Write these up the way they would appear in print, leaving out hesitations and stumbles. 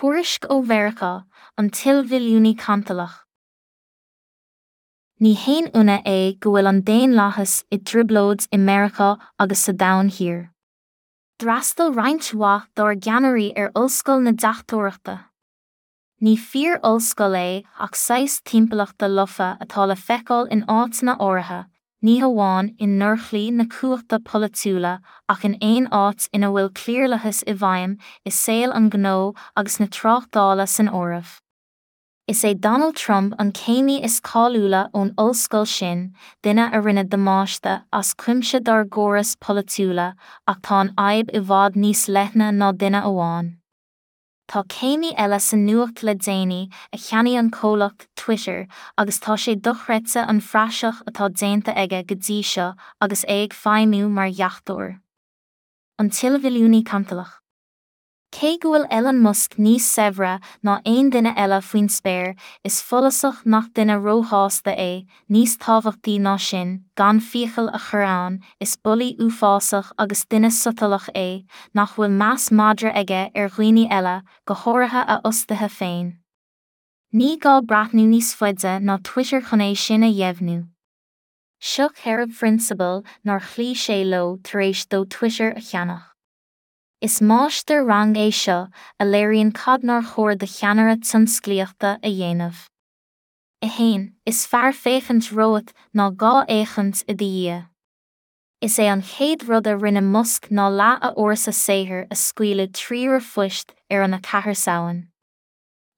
Tuairisc ó Mheiriceá, an t-ilmhilliúnaí cantalach. Ní haon ionadh é go bhfuil an daonlathas i dtrioblóid i Meiriceá agus sa Domhan Thiar. D'fhreastail roinnt mhaith dár gceannairí ar ollscoil na deachtóireachta. Ní fíor-ollscoil é ach saghas timpeallachta lofa atá le feiceáil in áiteanna áirithe, ní hamháin i ndorchlaí na cumhachta polaitiúla ach in aon áit ina bhfuil cliarlathas i bhfeidhm, i saol an ghnó agus na tráchtála san áireamh. Is é Donald Trump an céimí is cáiliúla ón ollscoil sin, duine a rinne damáiste as cuimse dár gcórais polaitiúla ach tá an fhadhb i bhfad níos leithne ná duine amháin. Tá céimí eile sa nuacht le déanaí a cheannaigh an comhlacht Twitter agus tá sé dochreidte an phraiseach atá déanta aige go dtí seo agus é ag feidhmiú mar dheachtóir. An t-ilmhilliúnaí cantalach. Cé go bhfuil Elon Musk níos saibhre ná aon duine eile faoin spéir, is follasach nach duine róshásta é, níos tábhachtaí ná sin, gan fiacail a chur ann, is bulaí uafásach agus duine sotalach é, nach bhfuil meas madra aige ar dhaoine eile, go háirithe a fhostaithe féin. Ní gá breathnú níos faide ná Twitter chun é sin a dheimhniú. Seo 4 phrionsabal nár chloígh sé leo tar éis dó Twitter a cheannach. Is máistir-rang é seo a léiríonn cad nár chóir do cheannaire tionsclaíochta a dhéanamh. 1, Is fearr féachaint romhat ná dhá fhéachaint i do dhiaidh. Is é an chéad rud a rinne Musk ná leath a fhórsa saothair a scaoileadh trí r-phoist ar an 4 Samhain.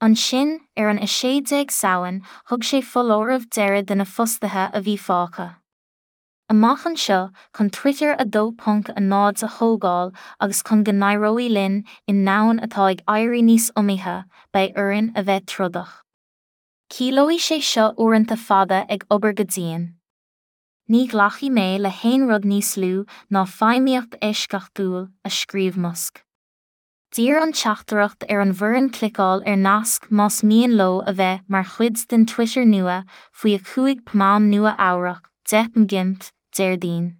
Ansin, ar an 16 Samhain, thug sé foláireamh deiridh do na fostaithe a bhí fágtha. Amach anseo, chun Twitter 2.0 a thógáil agus chun go n-éireoidh linn i ndomhan atá ag éirí níos iomaíche, beidh orainn a bheith trodach. Ciallóidh sé seo uaireanta fada ag obair go dian. Ní ghlacfaidh mé le haon rud níos lú ná feidhmíocht eisceachtúil, a scríobh Musk. D'iarr an teachtaireacht ar an bhfoireann cliceáil ar nasc más mian leo a bheith mar chuid den Twitter nua faoi 5 pm am Nua Eabhrac, 10 pm GMT, Déardaoin.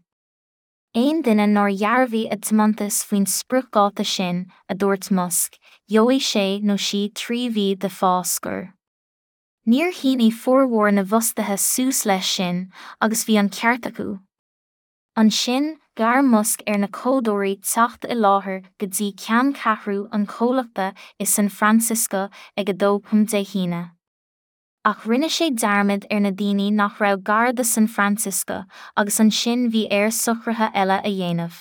Aon duine nár dhearbhaigh a dtiomantas faoin spriocdháta sin, a dúirt Musk, gheobhaidh sé nó sí 3 mhí de phá scoir. Níor shínigh formhór na bhfostaithe suas leis sin agus bhí an ceart acu. Ansin, ghearr Musk ar na códóirí teacht i láthair go dtí ceanncheathrú an chomhlachta i San Francisco ag 2 pm Dé hAoine. Ach rinne sé dearmad ar na daoine nach raibh gar do San Francisco agus ansin bhí air socruithe eile a dhéanamh.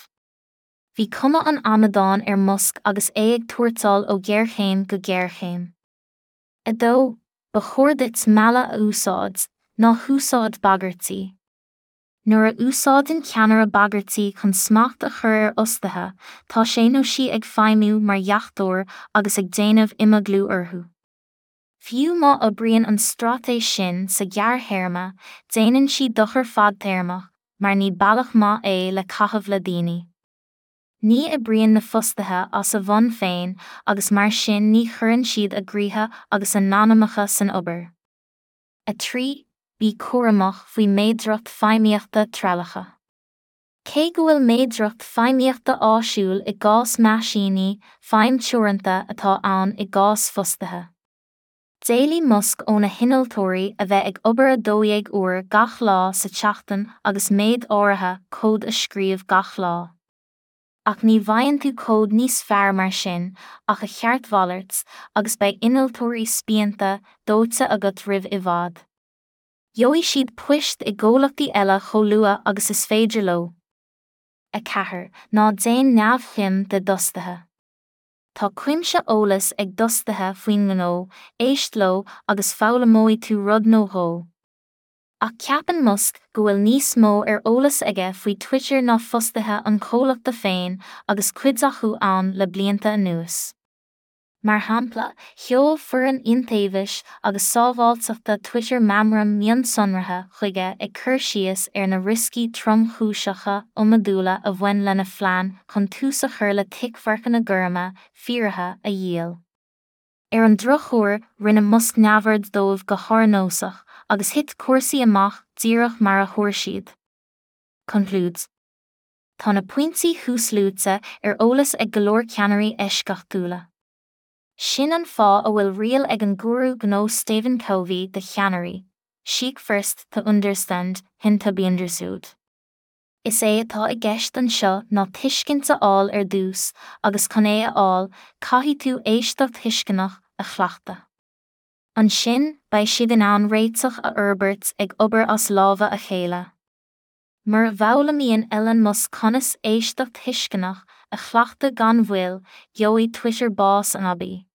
Bhí cuma an amadáin ar Musk agus é ag tuairteáil ó ghéarchéim go géarchéim. 2, Ba chóir duit mealladh a úsáid, ná húsáid bagairtí. Nuair a úsáideann ceannaire bagairtí chun smacht a chur ar fhostaithe, tá sé nó sí ag feidhmiú mar dheachtóir agus ag déanamh imeaglú orthu. Fiú má oibríonn an straitéis sin sa ghearrthéarma, déanann sí dochar fadtéarmach, mar ní bealach maith é le caitheamh le daoine. Ní oibríonn na fostaithe as a bhfonn féin agus mar sin ní chuireann siad a gcroíthe agus a n-anamacha san obair. 3, Bí cúramach faoi méadracht feidhmíochta treallacha. Cé go bhfuil méadracht feidhmíochta áisiúil i gcás meaisíní, feidhm teoranta atá ann i gcás fostaithe. D'éiligh Musk óna hinnealtóirí a bheith ag obair 12 uair gach lá sa tseachtain agus méid áirithe cód a scríobh gach lá. Ach ní bhfaigheann tú cód níos fearr mar sin ach a cheart mhalairt, agus beidh innealtóirí spíonta, dóite agat roimh i bhfad. Gheobhaidh siad poist i gcomhlachtaí eile chomh luath agus is féidir leo. 4, Ná déan neamhshuim de d'fhostaithe. Tá cuimse eolais ag d'fhostaithe faoin ngnó, éist leo agus foghlaimeoidh tú rud nó dhó. Ach ceapann Musk go bhfuil níos mó ar eolas aige faoi Twitter ná fostaithe an chomhlachta féin agus cuid acu ann le blianta anuas. Mar shampla, sheol foireann iontaobhais agus sábháilteachta Twitter meamram mionsonraithe chuige ag cur síos ar na rioscaí tromchúiseacha iomadúla a bhain lena phlean chun tús a chur le ticmharcanna gorma fíoraithe a dhíol. Ar an drochuair, rinne Musk neamhaird dóibh go hárnósach, agus thit cúrsaí amach díreach mar a thuar siad. Conclúid. Tá na pointí thuasluaite ar eolas ag go leor ceannairí eisceachtúla. Sin an fáth a bhfuil riail ag an gúrú gnó Stephen Covey do cheannairí, Seek first to understand, then to be understood. Is é atá i gceist anseo ná tuiscint a fháil ar dtús agus chun é a fháil, caithfidh tú éisteacht thuisceanach a chleachtadh. Ansin, beidh siad in ann réiteach a fhorbairt ag obair as lámha a chéile. Mura bhfoghlaimíonn Elon Musk conas éisteacht thuisceanach a chleachtadh gan mhoill, gheobhaidh Twitter bás anabaí.